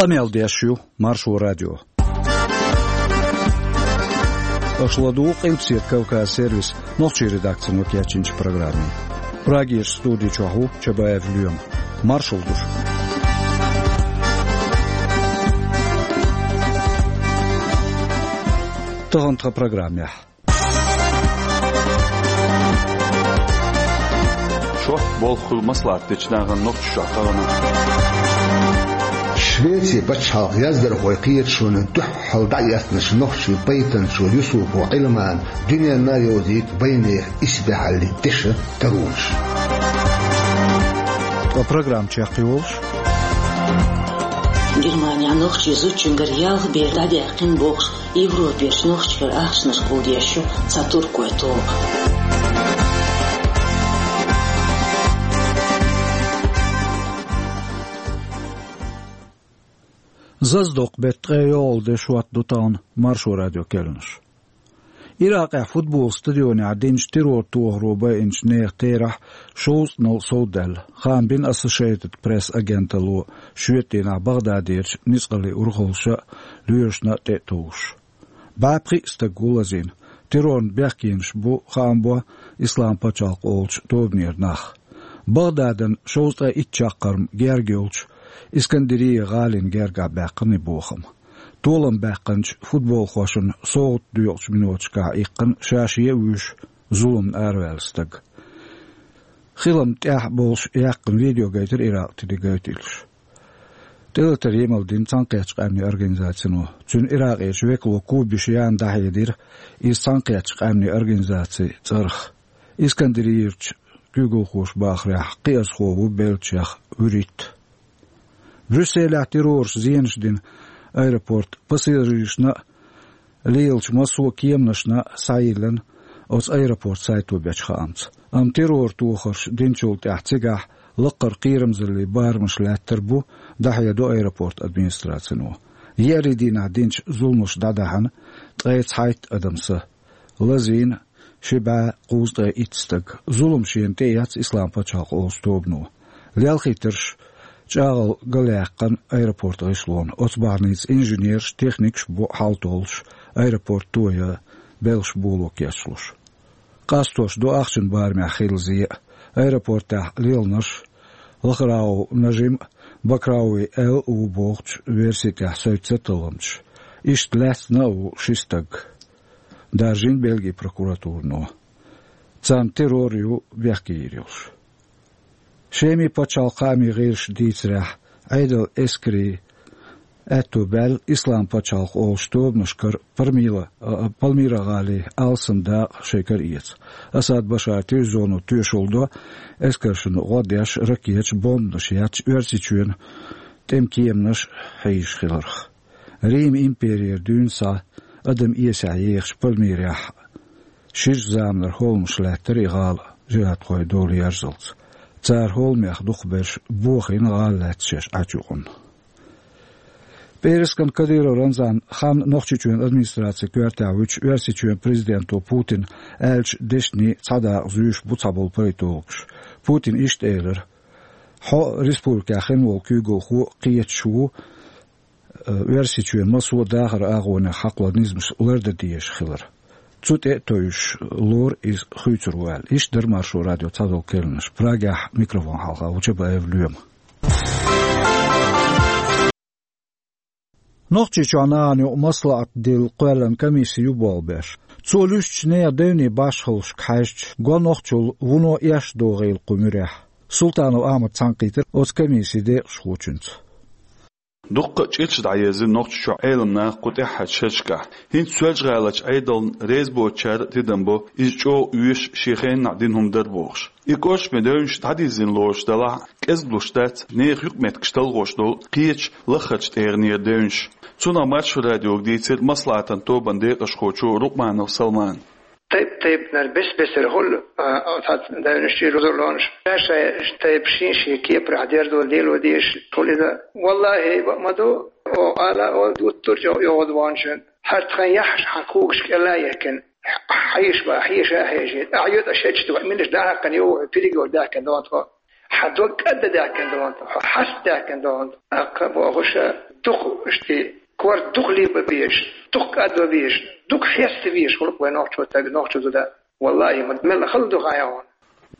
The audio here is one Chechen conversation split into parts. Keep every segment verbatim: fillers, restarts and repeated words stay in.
Къамел деш ю Маршо радио. Аша ладугӀу Къилбаседа Кавказ сервисан нохчийн редакцино кечйинчу программе. Прагерчу студи чохь ву Чабаев Лоьма. Маршалла ду шуьга. Тахана тхан программехь. Шортта болх хуьлу маслаӀат дечу нахана Нохчийчохь тахана. Швецин пачхьалкхан яздархойн кхеташонна дуьххьал дӀаэцначу нохчийн пайтанчо Юсупов Ӏилмана дуьненна а йовзийта вайнехан исбаьхьаллин дешан таронаш. Ткъа программа чекхйолуш. Германехь нохчийн зудчуьнгара ялх бер дӀадаьккхина бохуш, Европерчу нохчашкара ахчанаш кхуллуш ю цхьа туркойн тоба. Зазадоккху беттан ткъе йоьалгӀа де шот ду тахана Маршо радион керланаш. Иракъехь футбол стадионехь динчу террор тохаро байинчу нехан терахь шовзткъанал совдаьлла, хаам бина Associated Press агенталло, шоьтан дийнахь Багъдадерчу ницкъаллин урхаллаша а, лоьрашна а тӀе а товш. БӀе пхиъ стаг ву лазийна. Террорна бехкенаш бу, хаам бо, Ислам пачхьалкх олучу тобанера нах. Багъдадан шовзткъе итт чаккхарма герга йолчу Искандерия гӀалина гергахь баьккхина и бохам. Толам баьккхинчу футболхошна совгӀат доькъучу миноташкахь иккхина ша-шен а вуьйш зуламна араваьлла стаг. Хилам тӀехь а болуш яьккхина видео гайтира Иракъ телекомпанеш. ТӀелатар емал дина Цхьаьнакхеттачу Къаьмнийн Организацино. Цуьнан Иракъерчу векало Кубиш Яна дӀахьедира иза Цхьаьнакхеттачу Къаьмнийн Организацин цӀарах. Искандерийрчу куьйгалхоша бахарехь, кхиазхо ву беллачех вуьрхӀитта. Брюсселехь террораша зенаш дина аэропортан пассажирашна а, лелачу массо а кеманашна а схьайиллина оцу аэропортан сайто бечу хаамца. Амма террор тохарш динчул тӀаьхьа цигахь лаккхара кхерамзаллин барамаш лаьттар бу, дӀахьедо аэропортан администрацино. Еарин дийнахь динчу зуламаша дӀадахьана ткъе цхьайтта адам са. Лазийна ши бӀе кхузткъе итт стаг. Зулам шена тӀеэцна Ислам пачхьалкх олучу тобано. Лелхийтарш чӀагӀалла галъяьккхина аэропортан гӀишлонна. Оцу бахьаница инженераш, техникаш бу хьал толлуш, аэропорт тоян белхаш боло кечлуш. Къастош ду ахчанан барамехь хилла зе а. Аэропортехь лелхинарш Лахрауи Нажим а, Бакрауи Эл а ву бохучу версин тӀехь соьцу талламчаш. Иштта лаьцна а ву ши стаг. Даржийна Бельгин прокуратурано. Царна террор ю бехке йийр йолуш. Шеман пачхьалкхан хаамийн гӀирсаша дийцарехь, Ӏедалан эскарийн аьтто баьлла Ислам пачхьалкх олучу тобанашкара Пармила, а, Пальмира гӀалин алсам дакъа шайн кара эца. Асад Башаран телевизионо тоьшалла до, эскаршна гӀо деш, ракеташ, бомбанаш етташ, Оьрсийчоьнан тӀеман кеманаш хьийзаш хиларх. Риман имперера дуьйна схьа адам эсехь ехачу Пальмирехь ширачу заманара хӀолламаш лаьттара и гӀала жихӀадхойн дола ерзалц. Цара хӀолламех дукхахберш бохийна гӀала лаьцна шаьш Ӏачу юкъанна. ПӀераскан Кадыров Рамзан хан Нохчийчоьнан администрацин коьртехь вуьтуш, Оьрсийчоьнан президенто Путина аьллачу дешнийн цхьа дакъа зуьйш бу цхьаболу политологаш. Путина иштта элира: «Хьо а, республикехь хин волу куьйгалхо а кхеташ ву, э, Оьрсийчоьнан массо а дахаран агӀонех хьакхалур низамаш лардан дезаш хилар». Цу тӀе а тевжаш лору иза хуьйцур ву аьлла. Иштта дара Маршо радион цхьадолу керланаш. Прагехь микрофон хьалха ву Чабаев Лоьма. Нохчийчохь нахана юкъа маслаӀат дилла кхоьллина комисси ю болх беш. Цо луьстучу нехан девнийн башхаллашка хьаьжча, го нохчалла вуно эшна догӀийла кху муьрехь. Султанов Ахьмада цхьаьнакхийтира оцу комиссин декъашхочуьнца. Дуккха а чӀирча дӀаерзира Нохчийчохь Ӏеламнах кху тӀаьххьарчу шерашкахь. ХӀинца Соьлжа-ГӀаларчу Ӏедална реза боцучара а тидам бо, иза чӀогӀа оьшуш, шен хенахь дина хӀума дара бохуш. И кӀоршаме девнаш дӀадирзина лоруш делахь а, кӀезиг луш дац нехан юкъаметтигаш талхош долу кхечу лаххарчу тӀегӀанера девнаш. Цунах Маршо радиога дийцира маслаӀатан тобанан декъашхочо Рукъманов Салмана. Тайп-тайпанара бес-бесара хуьлу, а, оцу девнаш чуьра узурлонаш. Ша-шайн тайпа шен-шен кепарехь дерзо лело дезаш хуьлу иза. Валлахьи, ма ду, оха ала, оха дуттур чӀогӀа йогӀуш ву шуна. ХӀара тхан яххьаш хьан когаш кӀела а яьккхина. Хьеша бан, хьеша а хьешийта. Ахьа йоьду аш хӀечу тӀе, минаш дӀахьаькхина йогӀу, пириг йолу даьхкина догӀу тхо. Хьан дог кӀадда даьккхина догӀанта, хьо хьаста даьккхина догӀанта. Аккха бохуша, дукха ишти, корта дукха либа беш, дукха кӀадва беш, дукха хьеста веш, хӀулп вай нохчо таг, нохчо зуда. Валлахи, ма мел хала ду хьан яхана.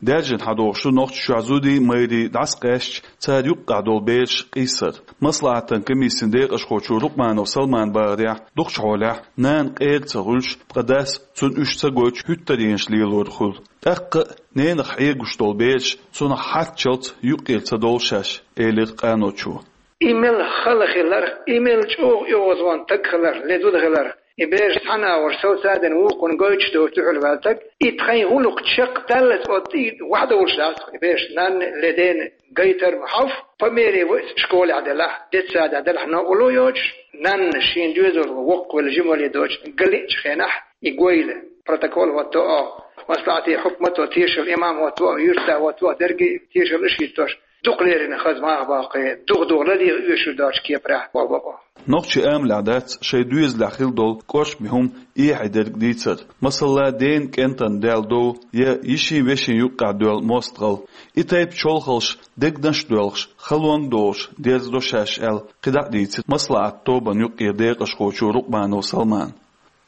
Даьржина хьадохуш ду Нохчийчохь зудий, майрий дӀасакъаьстича, цара юккъехь долу бераш къийсар. Маслахьатан комиссин декъашхочо Рукъманов Салмана бахарехь, дукхачу хьолехь, нана къера ца хуьлуш, ткъа дас цунна уьш ца гойтуш хӀуьттаренаш лелор хуьлу. ТӀаккха а ненах хьегуш долу бераш цунах хьарччалц юккъера ца довла шаьш, элира къаночо. И мел хала хиларх, и мел чӀогӀа оьгӀазван таг хиларх, ле зуда хиларх, и бераш цхьана а вара сов цаден вукхунна гойтуш доцу дуьхьал ваьлла таг, и тхайн гӀуллакх чекхдаллалц оцу тӀе вахьа довлуш дац, и бераш нанна ле дена гайтар ма хьовх, по мере вай школехь делахь, детсадехь делахь, новкъарло йоцуш, нанна шен доьзалхо воккхавелла жимале доцуш, галиъчу хенахь, и гойла, протокол хӀотто оха, маслахьате хьукмато тешал, имам хӀотто оха, юьрта хӀотто оха, дерриге тешал иш хӀиттош, дукха леррина хаза маха баккхий, духа-духа лалийра оьшур доцу кепарехь, боху бакъо. Нохчийн амалехь дац шайн доьзалехь хила долу кӀоршаме хӀума эхье дерг дийцар. Масала, дена кӀентан даьлла дов я йишин-вешин юккъехь доьлла мостагӀалла. И тайпа чолхалш дегнаш а доьлхуш, халонга а долуш дерзадо шаьш аьлла, кхидӀа а дийцира Маслахьат тобанан юккъера декъашхочо Рукъманов Салмана.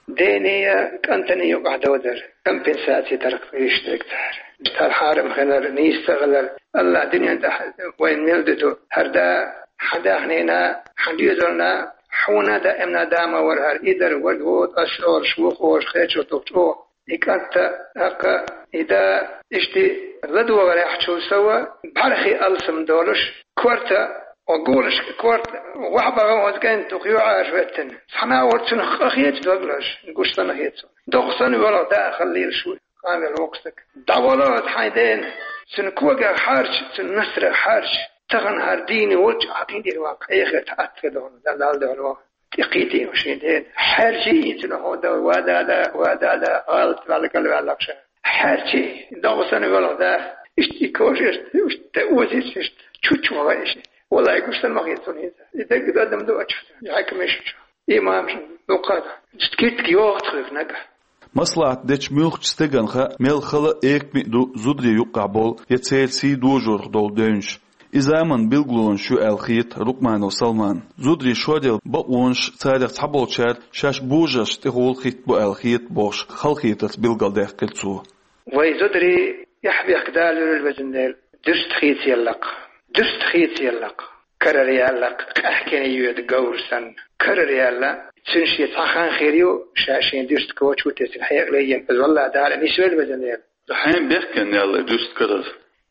Дений а, кӀантаний а юкъахь довзар, компенсаци тарх йиш дерг цара. Тхьара хьарам хилар, нийса ца хилар, АллахӀ дуьнен тӀехь вайн мел дуьту. ХӀара да, хьан даьхнина, хьан доьзална, хьуна даимна да ма вара хӀара, и дар варг ву, ас олуш ву, олуш хечо туху чӀогӀа. И кӀант а, тӀаккха и да, ишти ладогӀарехь чул сова, бӀархе алсам долуш, корта, о гулаш, корта, вахьа бахьа оцу кӀентан туху юьхьӀаьржа хӀоьттина. Цхьана а вара цунах къа хеташ дог лозуш, гуш санна хеташ. Доккха санна воьлху да халлийла шу, къамел воккху стаг. ДӀавало аса хьайн дена, цуьнан когах хьарча, цуьнан насрах хьарча, тахана хӀара дийна волчу Ӏакъин дийр ван, кхехар тӀе атта хир дохуна, Далла дуьхьал ван. ТӀекхийти шен дена. Хьерчий цуьнан хьо дан, ва дада, ва дада, алат ваьлла кӀалваьллакх ша. Хьерчий, догӀу санна велха да. Иштта и кожа, иштта, иштта озийца, иштта чучу ма вай иштта. Валлай, гуш санна ма хета цунна хӀинца. И дагга дадам ду ачу. Хьаькамаш чу. Имамаш дукха да. Иштта киттиг йогӀу тхоьга нагахь. Маслахьат дечу муьлххачу стеган хаа мел хала а, экаме а ду зударий юккъахь болу я церан сий дожорах долу девнаш. И заманан билгалонаш ю аьлла хета Рукъманов Салмана. Зударийн шоръял бакъонаш царах цхьаболчара шаьш божаршна тӀехула хӀиттабо аьлла хета бохуш, халахетарца билгалдаьккхира цо. Вай зударий, эхь-бехк Дала луьйла везан Дела, дуьста хийцаяллакх, дуьста хийцаяллакх, карара яьллакх, къаьхкина йоьду говр санна. Карара яьлла, цуьнан шен цхьа хан хир ю, ша шен дуьста коча ву тесна хьекъале йина, иза валла Дала нисвелла везан Дела. Хьайн бехкенна яьлла дуьста карара.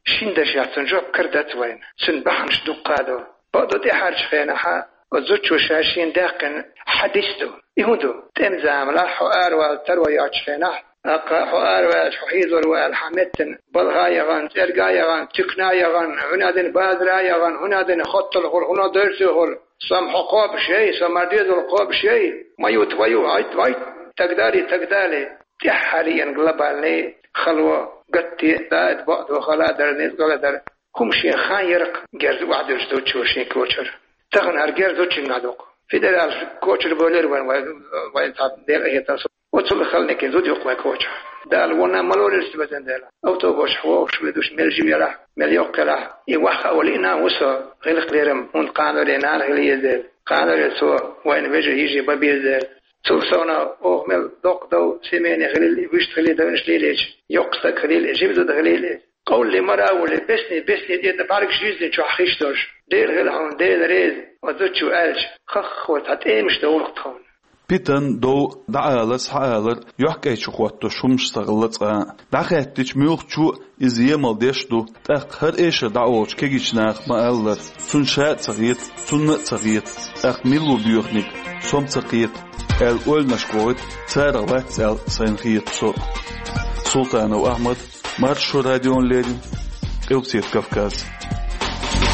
Шин дашехь цунна жоп кара дац вайна. Цуьнан бахьанаш дуккха а ду. Бакъду тӀаьхьарчу хенахьа, оцу зудчо ша шена даьккхина хьадис ду. И хӀун ду? ТӀеман заманахь хьо аравала таро йоцучу хенахь, тӀаккха хьо араваьлча, хьо хьийзор ву аьлла, хьан меттана балха а яхана, цӀерга а яхана, туькана а яхана, хӀуна а дина базара а яхана, хӀуна а дина хоттал хуьлу, хӀуна а дойрсо хуьлу. Со-м хьо кхобуш яй, со-м хьан доьзал кхобуш яй, ма юта вай ю, гӀайт, гӀайт, тагадале, тагадале. ТӀаьххьара еана глобальный хало, гатте а, да, бакъ ду, хала а дар, ницкъала а дар. ХӀума шен хан яракх герз охьадуьллуш зудчо шен кочара. Тахана хӀара герз зудчуьнгахь дукха. Федералаш кочара бовлар вайн, вайн, вайн цхьа дера а хетар со. Оцул хала некъан зуда юккъе вайн кочахь. Дала вонна ма лоллийла везан Дела. Автобусехь вогӀуш везаш мел жима елахь, мел йоккха елахь. И ваха а вала и нана ву со, гӀиллакх-лерам, хӀунда кханале нана хила еза дела. Кханале цо вайна вежарий, йижарий бан беза дела. Цул совнаха оха мел доккха дов, семейный хилийла, вуьшта хилийла, девнаш лелийча, йоккха стаг хилийла, жима зуда хилийла. Къовлале мара а волий, бесни, бесни тӀе тӀе бӀаьргаш юьззина чохь хиш долуш. Дела хила хьуна, Дела реза, оцу зудчо аьлча, хаххо цхьа тӀемаш довлакх тхуна. Питан, дов, дӀаалар, схьаалар, йохкӀайчу хӀоттош хӀумаш ца хилла цкъа а. ДӀахаьттича муьлххачо а иза емал деш а ду, тӀаккха хӀара эшар дӀаолучу кегийчу наха ма-аллара, цунна ша а ца хета, цунна а ца хета, тӀаккха мила ву боьханиг, со-м ца кхета, аьлла ойланашка вохуьйту, царах вац аьлла сайна хета со. Султанов Ахьмад, Маршо радиона леррина, Къилбаседа Кавказ.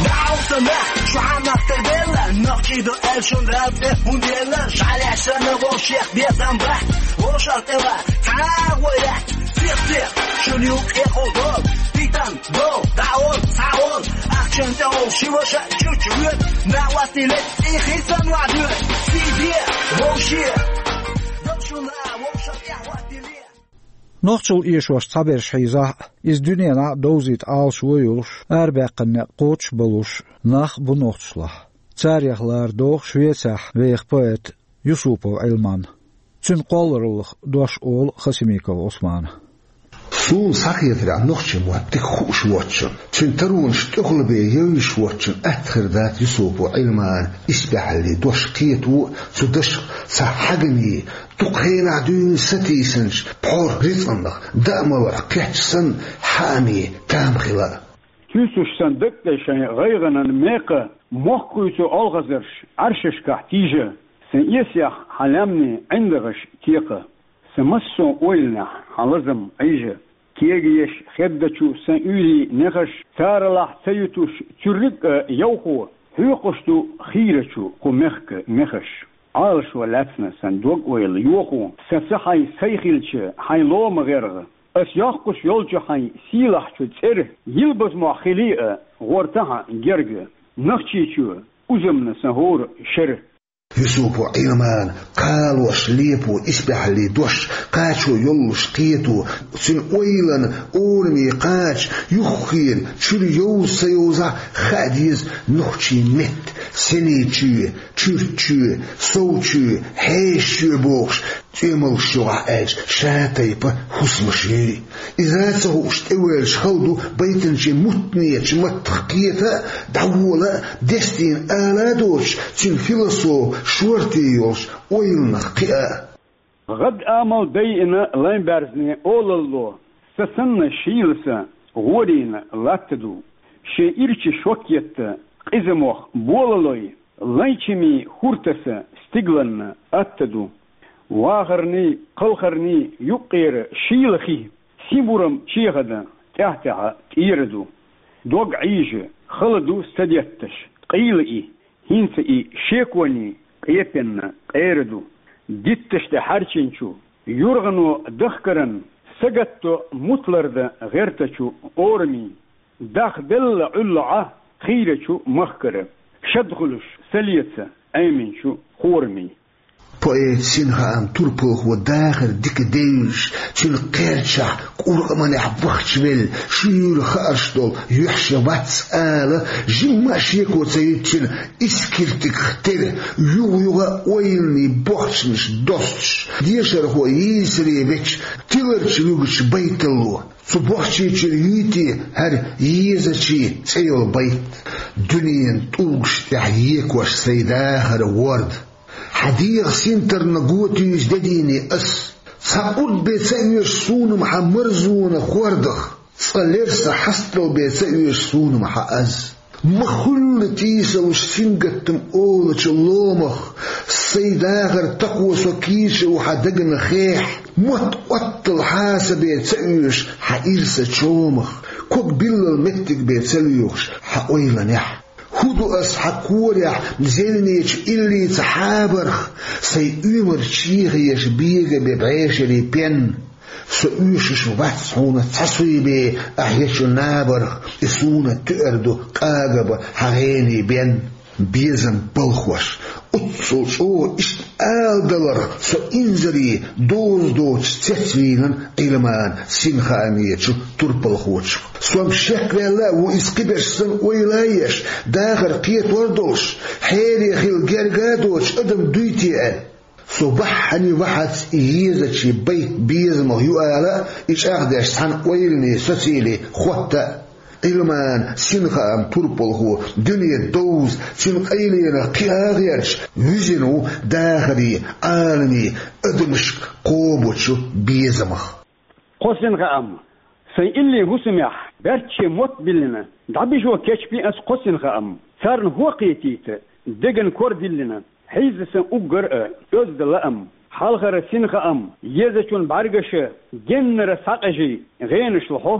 Дауса нах, шу хьан нах тӀе белла, нах кхийдо аьлла шун Дала тӀе хӀун делла, жӀаьлеш санна вовшех безам бахьа, вовшах тӀе ва, цхьа гӀо яц, сих-сих, шун юккъе хӀун долу, питан, дов, дӀаол, схьаол, ахчан тӀе олу ши ваша чучу воьду, нах ваттийле, и хи санна вахьа доьду, сий де, вовше. Дов шуна, вовшах тӀе ваттийле. Нохчалла эшош цхьаберш хьийзахь а, иза дуьненахь а довзийта Ӏалашо йолуш, арабаьккхина некъ кхочуш а болуш, нах а бу нохчашлахь. Царех лара догӀу Швецехь веха поэт Юсупов Ӏилман. Цуьнан кхоллараллах дош олу Хасимиков Ӏусмана. Суна схьахетарехь, нохчийн мотт дика хууш воцчунна, цуьнан таронаш тӀехула бен евзаш воцчунна атта хир дац Юсупов Ӏилманан исбаьхьаллин дош кхето а, цу дашах цхьа хьагамийн, дукха хенахь дуьйна сатийсанчу пхьор рицкъанах, даамаларх кхетча санна, хьаамийн там хила а. Туьйсуш сан дагадешайн гӀайгӀанан мекха, мохк хуьйцу олхазарш Ӏаьршашкахь тийжа, сан эсех хьан лаьмнийн ӀиндагӀаш текха, сан массо а ойланехь хьан лазам Ӏийжа. Кегаеш хеддачу сан уьйрийн нехаш, царалахь ца ютуш цуьрриг а йовхо, хьоькхуш ду хийрачу кху мехкан мехаш. Ӏалашо лаьцна сан дог-ойла йохо, сан са хьайн сай хилча, хьайн лома гӀерга. Ас йоккхуш йолчу хьайн сийлахьчу цӀера, йилбаза мохь хилий а, гӀортахьа герга, Нохчийчоь узамна сан хӀора шера. Юсупов Ӏилман кхалош лепо исбаьхьаллин дош, кхачо йоллуш кхето, цуьнан ойланан ораме кхача, юххера чуьра йовза ца йовзахь а, хаа деза нохчийн меттан сенечоь, чуьртчоь, совчоь, хьешачоь бохуш, цӀоьмалгаш юкъахь аьлча, ша тайпа хӀусамаш юй. Иза ца хууш тӀевоьллуш хала ду байтанчин муьтӀахь, маттах кхета а, дӀавола а, дестийна ала а доцуш, цуьнан философан шорта йолуш ойланах кхиа а. ГӀадамал дайина лайн баьрзне олалло, сан санна шийла са гӀорийна латта ду. Шен ирча шок етта къиза мох болалой, лайн чимин хӀур таса стигланна атта ду. Вахарний, кхалхарний юккъера шийла хи, син бурам чехада тӀаьхь-тӀаьхьа тӀера ду. Дог Ӏийжа хала ду са детташ, къийла и, хӀинца и шеконий къепенна къера ду. Дитташ тӀе хьаьрчинчу юргӀано дахкаран сагатто мутларда гӀертачу орамийн. Дахделла Ӏуьллу Ӏа хийрачу махкара, шад хуьлуш са леца Ӏеминчу хорамийн. Поэт Синхаам турпалхо дахар дика девлаш, цуьнан кхерчахь, кӀуркъаманехь вахчавелла, шуьйра хаарш долу юьхь шен вац ала, жимма а шеко ца юьтучун, искиртигах тера, югӀа-югӀа ойланийн бохчанаш достуш, дешархо йийсаре веча, тиларчу вуьгучу байталло. Цу бохчийчуьра юй те хӀара Езачийн цӀе йолу байт? Дуьненан тӀулгаш тӀехь екош сайн дахаран ворда. Хьан дегӀан синтарна го туьйсу де дийне ас. Цхьа урд бен ца оьшу суна-м хьан марзонан хордах, цкъа лерса хьастал бен ца оьшу суна-м хьан аз. Ма хуьллу тийсалуш сингаттам олучу ломах, сайн дахар такхо со кийча ву хьан дагна хехь. Мотт оттал хьаса бен ца оьшу хьан ирса чомах, ког биллал меттиг бен ца лоьхуш хьан ойланехь. ХӀун ду ас хьан корехь зевнечу иллица хьабарх, сайн уьймар чехаеш бега бен бӀешерийн пен? Со оьшуш вац хьуна цхьа суй бен ахь ечу набарх, и суна туьар ду къагабан хьан гӀенийн бен. Безам балхош, оццул чӀогӀа иштта ала даларх со инзаре доза доцуш цецвийлина Ӏилман Синхаамечу турпалхочух. Со-м шекваьлла а ву иза кхиберш санна ойла а еш, дахар кхетор а долуш, хьере хила герга а доцуш адам дуй те аьлла. Со бахьане вахьац и Езачийн байт безамах ю ала а, и чӀагӀдеш цхьана ойланийн социале хӀотта а. Ӏилман Синхаам турпалхо дуьне довза, цуьнан къайленах кхиа а гӀерташ, вуьзина ву дахарийн, Ӏаламийн, адамашка кхобучу безамах. Кхо Синхаам. Сайн иллийн хӀусамехь баьрчче мотт биллина, дӀабижо кечбина ас кхо Синхаам. Царна хӀун кхетийта, деган кор диллина, хьийза сан уггар а оьзда лаам. Хьалхара Синхаам, Езачун бӀаьргаша, геннара схьакъежий гӀенаш лохьо,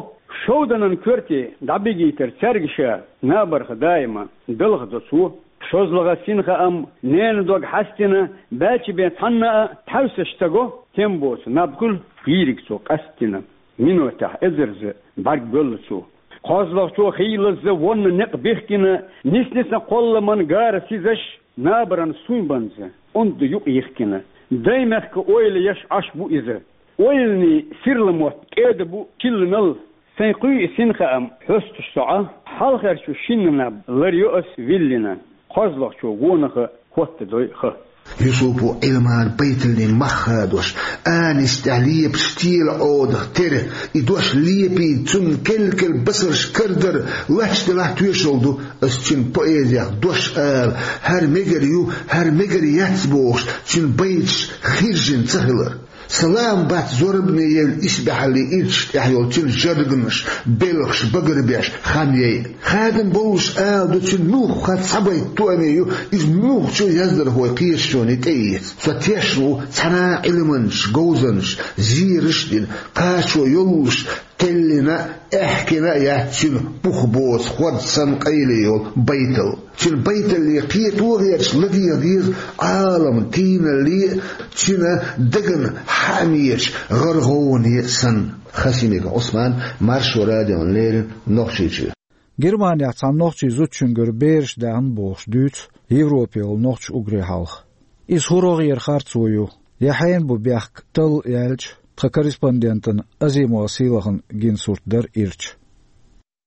шовданан коьрте дӀабигийтар цаьрга ша, набарх даима далха до цо. ШозлагӀа Синхаам, ненан дог хьаьстина, баьчча бен цхьанна а тхьаьвсаш ца го, тем боцу наб хуьлу йийриг цо къастина. Минотехь эзарза бӀаьрг боьлла цо. КхозлагӀчо хийлазза вонна некъ бихкина, нисни сан кхолламан гара сизаш, набаран суйбанза онда юкъ йихкина. Даймехкан ойла еш Ӏаш бу иза. Ойланийн сирла мотт кӀеда бу чилланал, сайн кхуьй и сина хаам хьостуш со Ӏа, хьалхарчу шиннанах лар йо ас виллина, кхозлагӀчо гонаха хӀоттадой ха. Юсупо Ӏилман байталлин мах хадош, анис тӀехь лепаш тела Ӏодах тера, и дош лепийта цунна кел-кел басарш карадара, лач делахь тоьшалла ду, ас цуьнан поэзех дош ала, хӀара мегар ю, хӀара мегар яц бохуш, цуьнан байташ хиржина ца хилар. Салам бац зорбане евлла исбаьхьаллин ирчаш тӀехь йолу цуьнан жарганаш, белхаш багарбеш хан яй. Хадам боллуш ала ду, цуьнан муьлхха цхьа байт тоаме ю, иза муьлххачу яздархойн кхеташоне тӀеэца. Со тешна ву цхьана а Ӏилманчаша говзанчаш, зераш а дина, кхачо йоллуш, кхеллина а, аьхкина а яц цуьнан бух боцу хӀорд санна къайле йолу байталла. Цуьнан байталле кхето а гӀерташ ладегӀа деза Ӏаламан тийналле а, цуьнан дагна хьаамечу гӀаргӀовне а санна. Хасимиков Ӏусман, Маршо радиона леррина, Нохчийчоь. Германехь цхьана нохчийн зудчуьнгара бераш даьхна бохуш дуьйцу Европе йолу нохчийн уггаре хьалха. Иза хӀун рогӀера харцо ю, я хьенан бу бехк талла яьлча, тхан корреспондентана Азимова Сийлахана гина сурт дара ирча.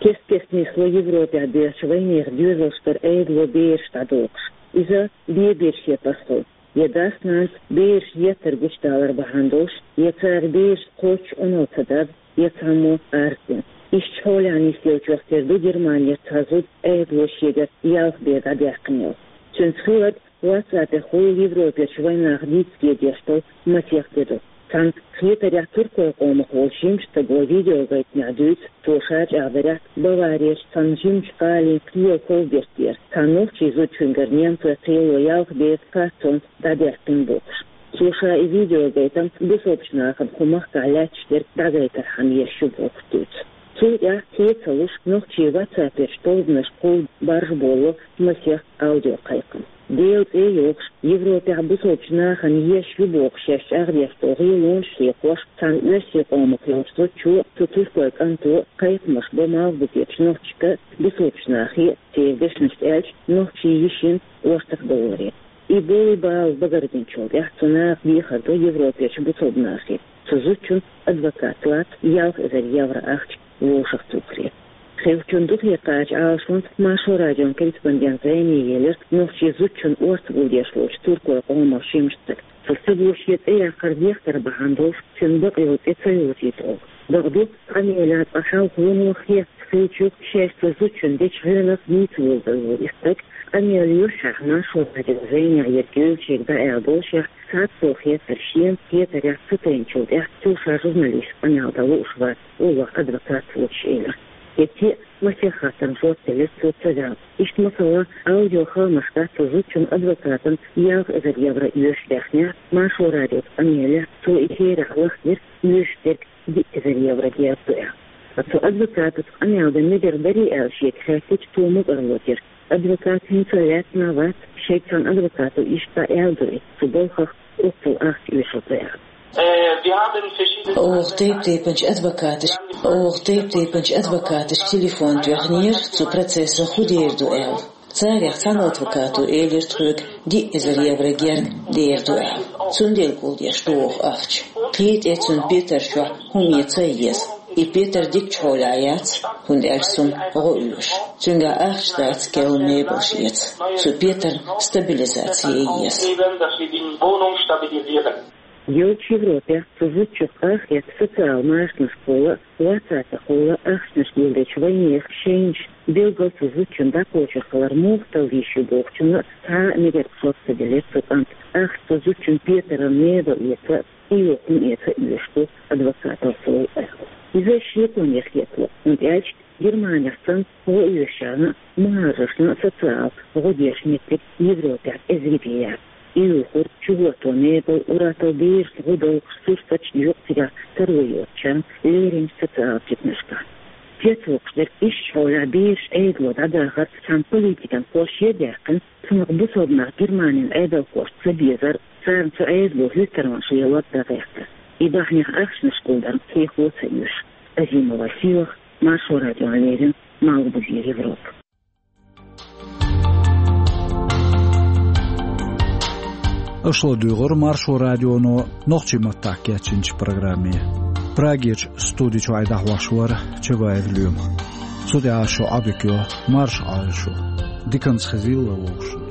Кест-кеста нисло Европехь боьхучу вайнехан доьзалш тӀера Ӏедало бераш дӀадохуш. Иза бен берш я пасхьо, я дас-нанас бераш еттар гучудалар бахьана долуш, я цара бераш кхоччуш Ӏуналла ца даза, я цхьаммо арз дина. Иштта хьолехь нисделлачух тера ду Германера цхьа зуда Ӏедало шегара ялх бен дӀадаьккхина йолу. Цуьнца хилларг WhatsApp-ехула Европерчу вайнаха дийца дезаш долу масех де ду. Цхьана хетарехь туркойн къомах волчу жимачу стага видеогайтамехь дуьйцу цо ша чӀагӀдарехь Баварерчу цхьана жимачу гӀалин кхелан ков-берт тӀера, цхьана нохчийн зудчуьнгара немцойн кхело ялх бен кхаччалц дӀадаьккхина бохуш. Цо ша и видеогайтам бусалбачу нахана кху махкахь лаьтташ дерг дӀагайтархьама еш ю бохург дуьйцу. Цул тӀаьхьа хье ца луш, нохчийн WhatsApp-ерчу тобанашкахула баржаболо масех аудиокхайкхам. Делан цӀе а йохуш, Европехь бусалбачу нахана еш ю бохуш шаьш чӀагӀдеш долу гӀелонаш а хьекхош, цхьана оьрсийн къомах йолчу зудчо а, цу туркойн кӀанто а кхайкхамаш бо Малхбузерчу нохчашка а, бусалбачу нахе а, церан дешнашца аьлча, нохчийн йишина ортах довларе. И болу бала багарбинчул тӀаьхьа цу наха дехар до Европерчу бусалба нахе. Цу зудчунна адвокат лаца ялх эзар евро ахча вовшахтухаре. Хиллачун духе кхача Ӏалашонца Маршо радион корреспондента зӀене елира нохчийн зудчун орца гулдеш волчу туркойн къоман жимачу стага. Цо ца бохуш я цӀе яккхар дехкар бахьана долуш, цуьнан бакъ йолу цӀе ца йовзуьйту олу. Бакъду, къамелехь цкъа хьалха вуно хетта хиллачух, шаьш цу зудчунна дечу гӀоьнах дийца вогӀур ву и стаг. Къамел юьххьехь Маршо радион зӀенехь ерг йолчерга дӀааьлла болушехь, цхьацца хетар шена хетарехь ца тайначул тӀаьхьа цо ша журналистан къамел дан лууш вац, олу адвокат воцуш, элира. ХӀетте а масех хаттарна жоп делира цо ца ваьлла. Иштта, масала, аудиохаамаш дац цу зудчун адвокатана ялх эзар евро оьшуш даьхнехь, Маршо радиоца къамелехь, цо и херехь лахдира оьшуш дерг диъ эзар евро деза ду аьлла. Ткъа цу адвокатаца къамел дан мегар дарий аьлла шега хаьттича, цо мукӀарло дира. Адвокат хӀинца лаьцна а вац, шайга цхьана адвокато иштта дӀааьлла ду и, цу балхах оццул ахча оьшур ду аьлла. Оха тайп-тайпанчу адвокаташ, оха тайп-тайпанчу адвокаташ телефон тоьхнера, цу процессах хӀун дер ду аьлла. Царех цхьана адвокато элира тхоьга диъ эзар евро герга дер ду аьлла. Цундела гулдеш ду оха ахча. Кхин тӀе цунна петар чохь хӀума ян ца еза. И петар дикачу хьолехь яц, хӀунда аьлча цунна гӀо оьшу. Цуьнгахь ахча дац, керла мебелш эца. Цу петарна стабилизаци ян еза. Йолчу Европехь цу зудчух къахетта социал машанашкахула, вацатахула ахчанаш гулдечу вайнехан шайнаш, билггал цу зудчунна дӀакхочур хилар муха талла йиш ю бохучунна цхьа а мегар жоп ца делира цу кӀанта. Ахча цу зудчун петаран мебель эца, и юкъ хӀума эца оьшуш ду адвокаталла аьлла. Иза шеконех хетало, хӀунда аьлча Германехь санна гӀо оьшучарна а, мухӀажаршна а социал гӀо деш меттиг Европехь эзар бен яц. И юхура чугӀорто мебель, уьттазза берашна гӀо долхуш сурсаташ, юкъ цигахь таро йоцучарна леринчу социал жимачашкахь. Цецвоккхуш дерг иштта хьолехь бераш Ӏедало дӀадахар цхьана политикан кхоллам яц даьккхина, цунах бусалба нах Германин Ӏедалхошца ца безар, царна цу Ӏедало хӀоьттарван шайолат дагӀехкар. И бахьанех ахчанаш гулдар кхехо ца оьшу. Азимова Сийлаха, Маршо радиона леррина, Малхбузера Европа. Аша ладугӀура Маршо радионо нохчийн маттахь кечйинчу программе. Прагерчу студи чохь дӀахьош вара Чабаев Лоьма. Цу тӀехь шун Ӏодика йо марша Ӏойла шу. Диканца хезийла вовшашна.